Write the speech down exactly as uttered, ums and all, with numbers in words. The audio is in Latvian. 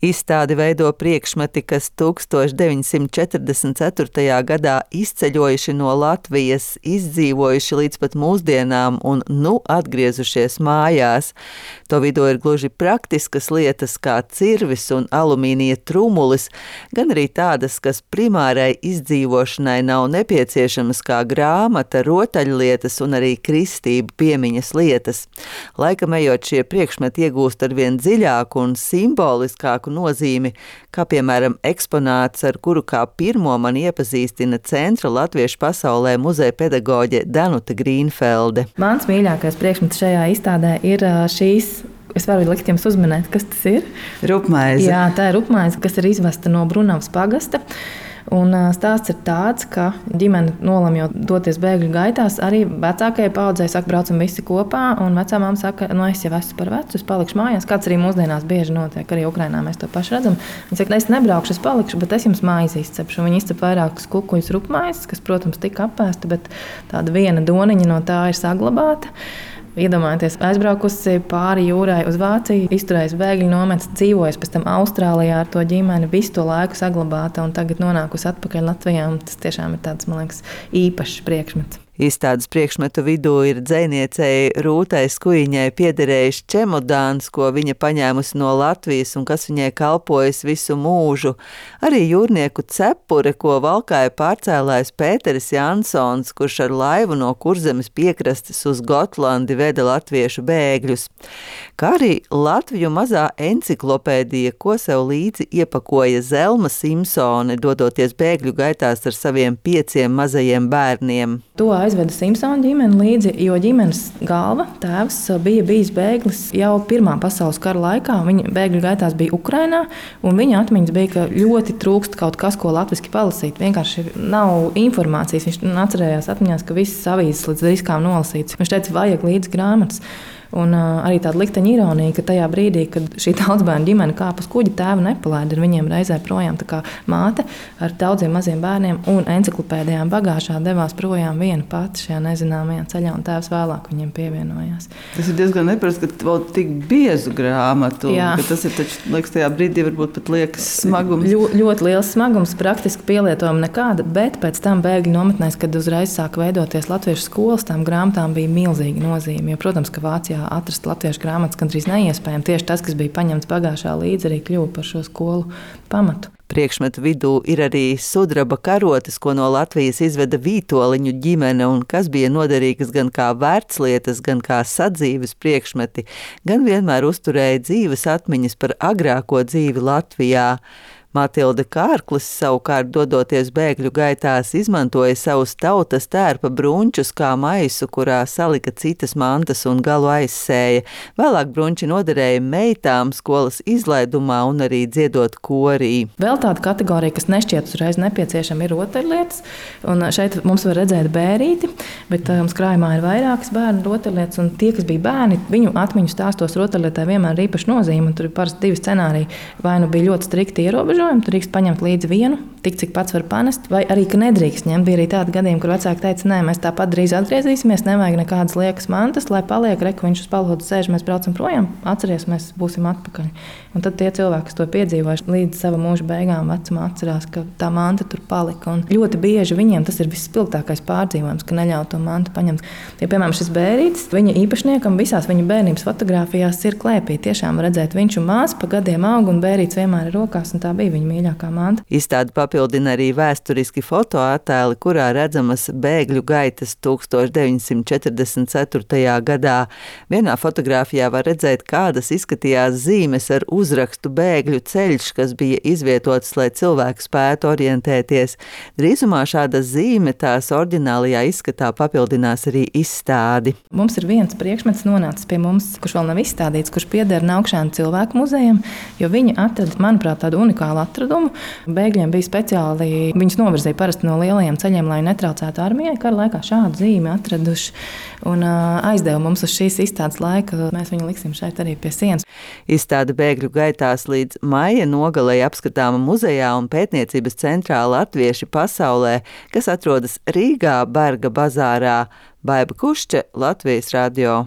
Izstādi veido priekšmeti, kas tūkstoš deviņsimt četrdesmit ceturtajā gadā izceļojuši no Latvijas, izdzīvojuši līdz pat mūsdienām un nu atgriezušies mājās. To vidū ir gluži praktiskas lietas kā cirvis un alumīnija trumulis, gan arī tādas, kas primārai izdzīvošanai nav nepieciešamas kā grāmata, rotaļlietas un arī kristību piemiņas lietas. Laikam ejot, šie priekšmeti iegūst arvien dziļāku un simboliskāku nozīmi, kā piemēram eksponāts, ar kuru kā pirmo man iepazīstina Centra latviešu pasaulē muzeja pedagoģe Danuta Grīnfelde. Mans mīļākais priekšmets šajā izstādē ir šīs. Es varu likt jums uzminēt, kas tas ir. Rupmaize. Jā, tā ir rupmaize, kas ir izvesta no Brunavas pagasta. Un stāsts ir tāds, ka ģimene nolemjot doties bēgļu gaitās, arī vecākajai paudzei saka, braucam visi kopā, un vecā māma saka, no es jau esmu par vecu, es palikšu mājās, kāds arī mūsdienās bieži notiek, arī Ukrainā mēs to paši redzam. Viņa saka, es nebraukšu, es palikšu, bet es jums maizi izcepšu. Viņa izcep vairākus kukuļus rupmaizes, kas, protams, tika apēsta, bet tāda viena doniņa no tā ir saglabāta. Iedomājieties, aizbraukusi pāri jūrai uz Vāciju, izturējusi bēgļu nometnes, dzīvojusi pēc tam Austrālijā ar to ģimeni, visu to laiku saglabāta un tagad nonākusi atpakaļ Latvijā. Tas tiešām ir tāds, man liekas, īpašs priekšmets. Izstādes priekšmetu vidū ir dzejniecei Rūtai Skujiņai piederējis čemodāns, ko viņa paņēmusi no Latvijas un kas viņai kalpojis visu mūžu. Arī jūrnieku cepure, ko valkāja pārcēlājs Pēteris Jansons, kurš ar laivu no Kurzemes piekrastes uz Gotlandi veda latviešu bēgļus. Kā arī Latviju mazā enciklopēdija, ko sev līdzi iepakoja Zelma Simpsone, dodoties bēgļu gaitās ar saviem pieciem mazajiem bērniem. To aizveda Simpsona ģimene līdzi, jo ģimenes galva, tēvs, bija bijis bēglis jau Pirmā pasaules kara laikā. Viņa bēgļu gaitās bija Ukrainā, un viņa atmiņas bija, ka ļoti trūkst kaut kas, ko latviski palasīt. Vienkārši nav informācijas. Viņš atcerējās atmiņās, ka visas avīzes līdz riskām nolasīts. Viņš teica, vajag līdz grāmatas. Un uh, arī tāda likteņa ironija, ka tajā brīdī, kad šī daudzbērnu ģimene kāpa uz kuģa, tēva nepalaida ar viņiem reizē projām. Tā kā māte ar daudziem maziem bērniem un enciklopēdijām bagāžā devās projām viena pati šajā nezināmajā ceļā, un tēvs vēlāk viņiem pievienojās. Tas ir diezgan neparasti, ka vēl tik biezu grāmatu, ka tas ir taču, liekas, tajā brīdī varbūt pat liekas smagums. Ļo, ļoti liels smagums, praktiski pielietojuma nekāda, bet pēc tam bēgļu nometnēs, kad uzreiz sāka veidoties latviešu skolas, tām grāmatām bija milzīga nozīme, jo, protams, ka Vācijā atrast latviešu grāmatas gandrīz neiespējami. Tieši tas, kas bija paņemts bagāžā līdzi, arī kļuva par šo skolu pamatu. Priekšmetu vidū ir arī sudraba karotes, ko no Latvijas izveda Vītoliņu ģimene un kas bija noderīgas gan kā vērtslietas, gan kā sadzīves priekšmeti, gan vienmēr uzturēja dzīves atmiņas par agrāko dzīvi Latvijā. Matilde Kārklis savukārt, dodoties bēgļu gaitās, izmantoja savus tautas tērpa bruņčus kā maisu, kurā salika citas mantas un galu aizsēja. Vēlāk bruņči noderēja meitām skolas izlaidumā un arī dziedot korī. Vēl tāda kategorija, kas nešķiet uzreiz nepieciešama, ir rotaļlietas. Un šeit mums var redzēt bērīti, bet mums krājumā ir vairākas bērnu rotaļlietas. Un tie, kas bija bērni, viņu atmiņu stāstos rotaļlietā vienmēr ir īpaši nozīme. Tur ir parasti divi scenāriji. Vai nu bija ļoti strikti ierobežojumi, tur drīkst paņemt līdzi vienu, tik cik pats var panest, vai arī, ka nedrīkst ņemt. Bija arī tādi gadījumi, kur vecāki teica, nē, mēs tāpat drīz atgriezīsimies, nevajag nekādas liekas mantas, lai paliek, re, ka viņš uz palodu sēž, mēs braucam projām, atceries, mēs būsim atpakaļ. Un tad tie cilvēki, kas to piedzīvojuši līdz sava mūža beigām vecumā, atcerās, ka tā manta tur palika. Un ļoti bieži viņiem tas ir visspilgtākais pārdzīvojums, ka neļauj to mantu paņemt. Ja, piemēram, šis bērītis, viņa īpašniekam visās viņa bērnības fotogrāfijās ir klēpī. Tiešām redzēt, viņš un māsa pa gadiem aug, un bērītis vienmēr ir rokās, un tā bija viņa mīļākā manta. Izstādi papildina arī vēsturiski fotoattēli, kurā redzamas bēgļu gaitas tūkstoš deviņsimt četrdesmit ceturtajā gadā. Vienā fotogrāfijā var redzēt, kādas izskatījās zīmes ar uzrakstu bēgļu ceļš, kas bija izvietots, lai cilvēki spētu orientēties. Drīzumā šāda zīme tās oriģinālajā izskatā papildinās arī izstādi. Mums ir viens priekšmets nonācis pie mums, kurš vēl nav izstādīts, kurš pieder Naukšēnu cilvēku muzejam, jo viņi atrada, manuprāt, tādu unikālu atradumu. Bēgļiem bija speciāli, viņus novirzīja parasti no lielajiem ceļiem, lai netraucētu armijai. Kara laikā šādu zīmi atraduši un aizdeva mums uz šīs izstādes laika. Mēs viņu liksim šeit arī pie sienas. Izstāde bēgļu gaitās līdz maija nogalei apskatāma muzejā un pētniecības centrā Latvieši pasaulē, kas atrodas Rīgā, Berga bazārā. Baiba Kušče, Latvijas radio.